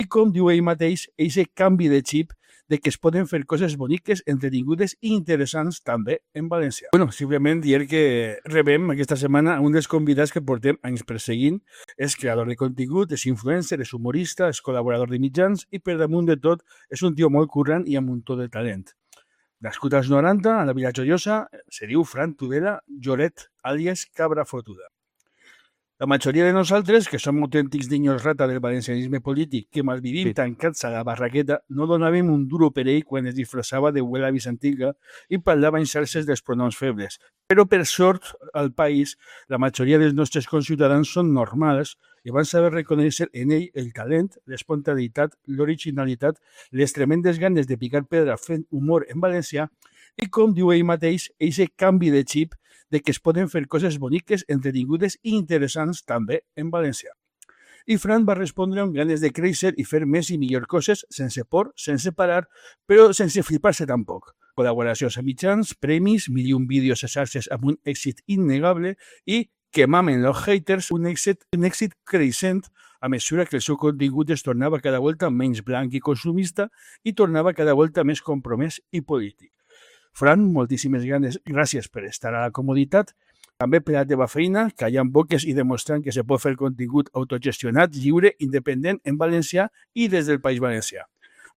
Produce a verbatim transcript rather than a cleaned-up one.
i com diu ell mateix, aquest canvi de xip de que es poden fer coses boniques, entretingudes i interessants també en valencià. Bueno, simplement dir que rebem aquesta setmana un dels convidats que portem anys perseguint. És creador de contingut, és influencer, és humorista, és col·laborador de mitjans i per damunt de tot és un tio molt currant i amb un to de talent. Nascut als noranta, a la Vila Joiosa, se diu Fran Tudela Lloret, àlies Cabra Fotuda. La majoria de nosaltres, que som autèntics niños rata del valencianisme polític, que malvivim tancats a la barraqueta, no donàvem un duro per ell quan es disfressava de abuela bizantina i parlava en xarxes dels pronoms febles. Però, per sort, al país, la majoria dels nostres conciutadans són normals i van saber reconèixer en ell el talent, l'espontaneïtat, l'originalitat, les tremendes ganes de picar pedra fent humor en valencià i, com diu ell mateix, aquest canvi de xip de que es poden fer coses boniques, entretingudes i interessants també en valencià. I Fran va respondre amb ganes de créixer i fer més i millor coses sense por, sense parar, però sense flipar-se tampoc. Col·laboracions a mitjans, premis, mil i un vídeos a xarxes amb un èxit innegable i que mamen los haters, un èxit, un èxit creixent a mesura que el seu contingut es tornava cada volta menys blanc i consumista i tornava cada volta més compromès i polític. Fran, moltíssimes ganes, gràcies per estar a la comoditat, també per la teva feina, callant boques i demostrant que se pot fer contingut autogestionat, lliure, independent, en valencià i des del País Valencià.